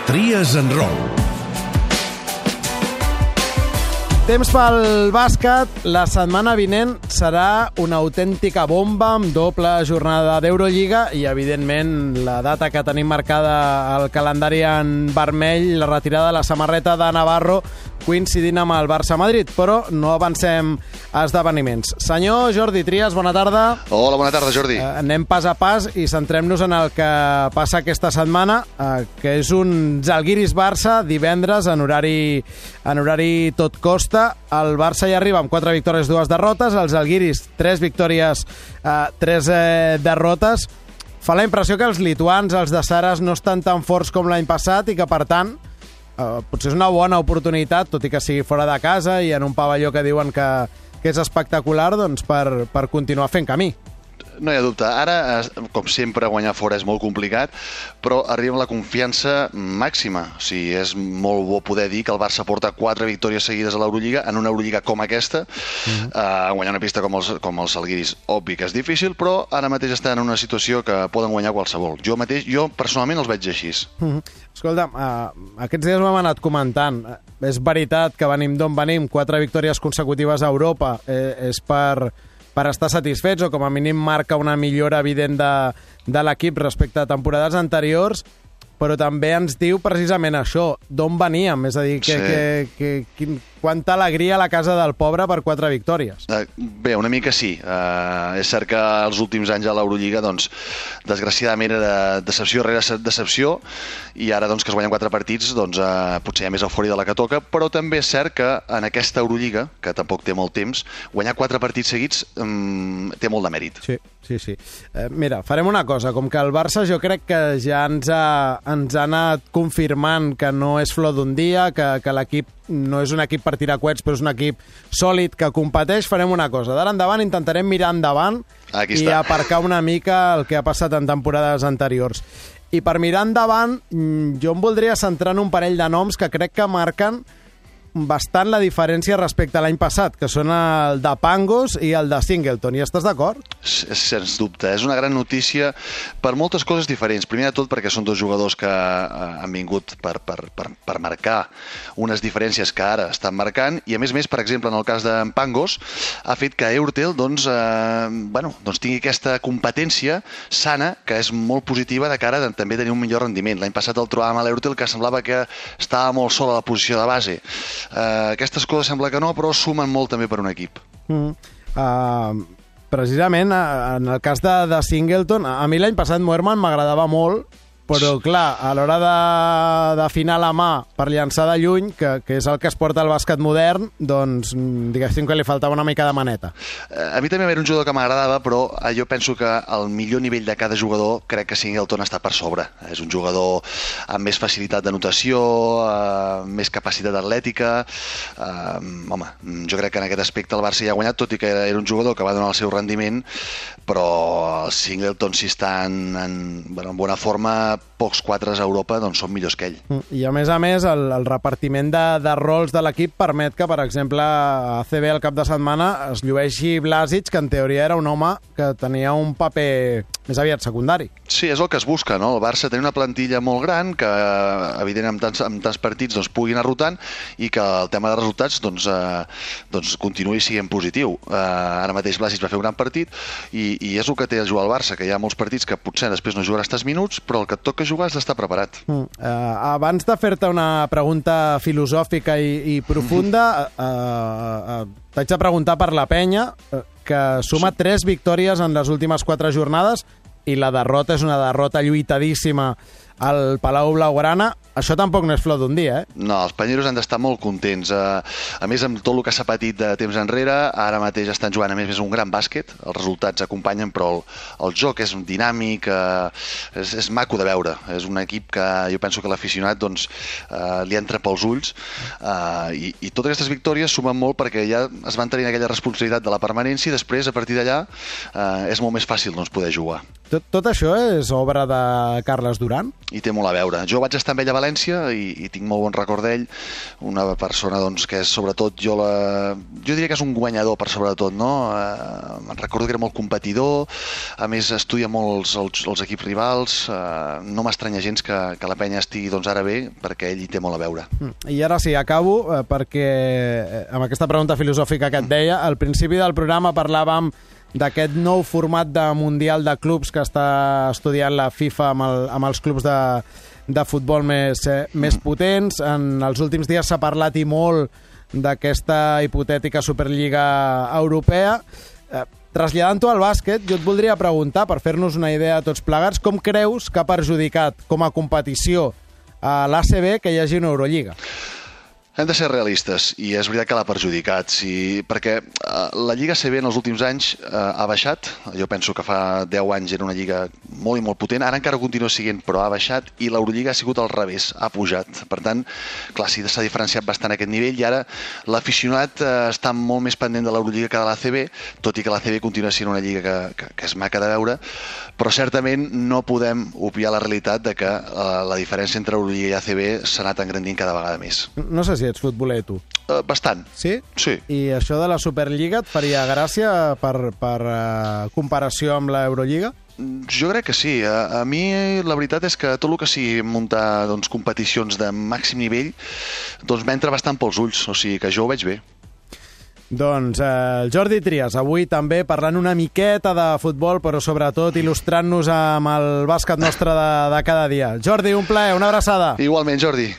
Tries en Roll. Temps pel bàsquet. La setmana vinent serà una autèntica bomba amb doble jornada d'Eurolliga i, evidentment, la data que tenim marcada al calendari en vermell, la retirada de la samarreta de Navarro, coincidint amb el Barça-Madrid, però no avancem a esdeveniments. Senyor Jordi Trias, bona tarda. Hola, bona tarda, Jordi. Anem pas a pas i centrem-nos en el que passa aquesta setmana, que és un Zalgiris-Barça divendres en horari tot costa. El Barça ja arriba amb 4 victòries, 2 derrotes. Els Zalgiris, 3 victòries, 3 derrotes. Fa la impressió que els lituans, els de Saras, no estan tan forts com l'any passat i que, per tant, potser és una bona oportunitat, tot i que sigui fora de casa i en un pavelló que diuen que és espectacular, doncs per continuar fent camí. No hi ha dubte. Ara, com sempre, guanyar fora és molt complicat, però arriba amb la confiança màxima. O sigui, és molt bo poder dir que el Barça porta 4 victòries seguides a l'Eurolliga, en una Eurolliga com aquesta, guanyar una pista com els Zalgiris. Obvi que és difícil, però ara mateix està en una situació que poden guanyar qualsevol. Jo personalment els veig així. Escolta, aquests dies ho hem anat comentant. És veritat que venim d'on venim, 4 victòries consecutives a Europa, és per estar satisfets, o com a mínim marca una millora evident de l'equip respecte a temporades anteriors, però també ens diu precisament això, d'on veníem, és a dir, quanta alegria a la casa del pobre per 4 victòries. Bé, una mica sí. És cert que els últims anys a l'Eurolliga, doncs, desgraciadament era decepció rere decepció, i ara doncs, que es guanyen 4 partits, doncs, potser hi ha més eufòria de la que toca, però també és cert que en aquesta Eurolliga, que tampoc té molt temps, guanyar 4 partits seguits té molt de mèrit. Sí. Mira, farem una cosa. Com que el Barça jo crec que ja ens ha anat confirmant que no és flor d'un dia, que l'equip no és un equip per tirar coets, però és un equip sòlid que competeix, farem una cosa. D'ara endavant intentarem mirar endavant i aparcar una mica el que ha passat en temporades anteriors. I per mirar endavant, jo em voldria centrar en un parell de noms que crec que marquen bastant la diferència respecte a l'any passat, que són el de Pangos i el de Singleton. Hi estàs d'acord? Sens dubte. És una gran notícia per moltes coses diferents. Primer de tot perquè són 2 jugadors que han vingut per marcar unes diferències que ara estan marcant, i a més, per exemple, en el cas d'en Pangos, ha fet que Eurtel doncs tingui aquesta competència sana, que és molt positiva de cara a també tenir un millor rendiment. L'any passat el trobàvem a l'Eurtel, que semblava que estava molt sol a la posició de base. Aquestes coses sembla que no, però sumen molt també per un equip. Precisament, en el cas de Singleton, a mi l'any passat Moerman m'agradava molt, però clar, a l'hora d'afinar la mà per llançar de lluny, que és el que es porta al bàsquet modern, doncs diguéssim que li faltava una mica de maneta. A mi també era un jugador que m'agradava, però jo penso que el millor nivell de cada jugador crec que Singleton està per sobre. És un jugador amb més facilitat d'anotació, més capacitat atlètica. Jo crec que en aquest aspecte el Barça ja ha guanyat, tot i que era un jugador que va donar el seu rendiment, però el Singleton, si està en bona forma, pocs quatres a Europa doncs són millors que ell. I a més, el repartiment de rols de l'equip permet que, per exemple, a ACB el cap de setmana es llueixi Blasic, que en teoria era un home que tenia un paper més aviat secundari. Sí, és el que es busca, no? El Barça té una plantilla molt gran que, evidentment, amb tants partits pugui anar rotant, i que el tema de resultats continuï sent positiu. Ara mateix Blasic va fer un gran partit, i és el que té a jugar al Barça, que hi ha molts partits que potser després no jugaràs tants minuts, però el que et toca jugar has d'estar preparat. Abans de fer-te una pregunta filosòfica i profunda, t'haig de preguntar per la Penya, que suma 3 victòries en les últimes 4 jornades, i la derrota és una derrota lluitadíssima al Palau Blaugrana. Això tampoc no és flor d'un dia, No, els panyeros han d'estar molt contents. A més, amb tot el que s'ha patit de temps enrere, ara mateix estan jugant a més un gran bàsquet, els resultats acompanyen, però el joc és dinàmic, és maco de veure. És un equip que jo penso que l'aficionat li entra pels ulls, i totes aquestes victòries sumen molt perquè ja es van tenir aquella responsabilitat de la permanència, i després, a partir d'allà, és molt més fàcil poder jugar. Tot això és obra de Carles Duran? I té molt a veure. Jo vaig estar amb ell a València i tinc molt bon record d'ell, una persona doncs, que és sobretot, jo diria que és un guanyador per sobretot, no? Me'n recordo que era molt competidor, a més estudia molt els equips rivals, no m'estranya gens que la penya estigui doncs, ara bé, perquè ell hi té molt a veure. I ara sí, acabo, perquè amb aquesta pregunta filosòfica que et deia, al principi del programa parlàvem d'aquest nou format de Mundial de Clubs que està estudiant la FIFA amb els clubs de futbol més potents. En els últims dies s'ha parlat i molt d'aquesta hipotètica Superliga Europea. Traslladant-ho al bàsquet, jo et voldria preguntar, per fer-nos una idea a tots plegats, com creus que ha perjudicat com a competició a l'ACB que hi hagi una Eurolliga? Hem de ser realistes, i és veritat que l'ha perjudicat, perquè la Lliga ACB en els últims anys ha baixat. Jo penso que fa 10 anys era una lliga molt i molt potent, ara encara continua sent, però ha baixat, i l'Eurolliga ha sigut al revés, ha pujat. Per tant, clar, sí, s'ha diferenciat bastant aquest nivell, i ara l'aficionat està molt més pendent de l'Eurolliga que de l'ACB, tot i que l'ACB continua sent una lliga que és maca de veure, però certament no podem obviar la realitat de que la diferència entre Eurolliga i ACB s'ha anat engrandint cada vegada més. No sé si ets futboler, tu. Bastant. Sí? Sí. I això de la Superliga et faria gràcia per comparació amb l'Eurolliga? Jo crec que sí. A mi la veritat és que tot el que sigui muntar doncs, competicions de màxim nivell doncs m'entra bastant pels ulls, o sigui que jo ho veig bé. Doncs el Jordi Trias, avui també parlant una miqueta de futbol, però sobretot il·lustrant-nos amb el bàsquet nostre de cada dia. Jordi, un plaer, una abraçada. Igualment, Jordi.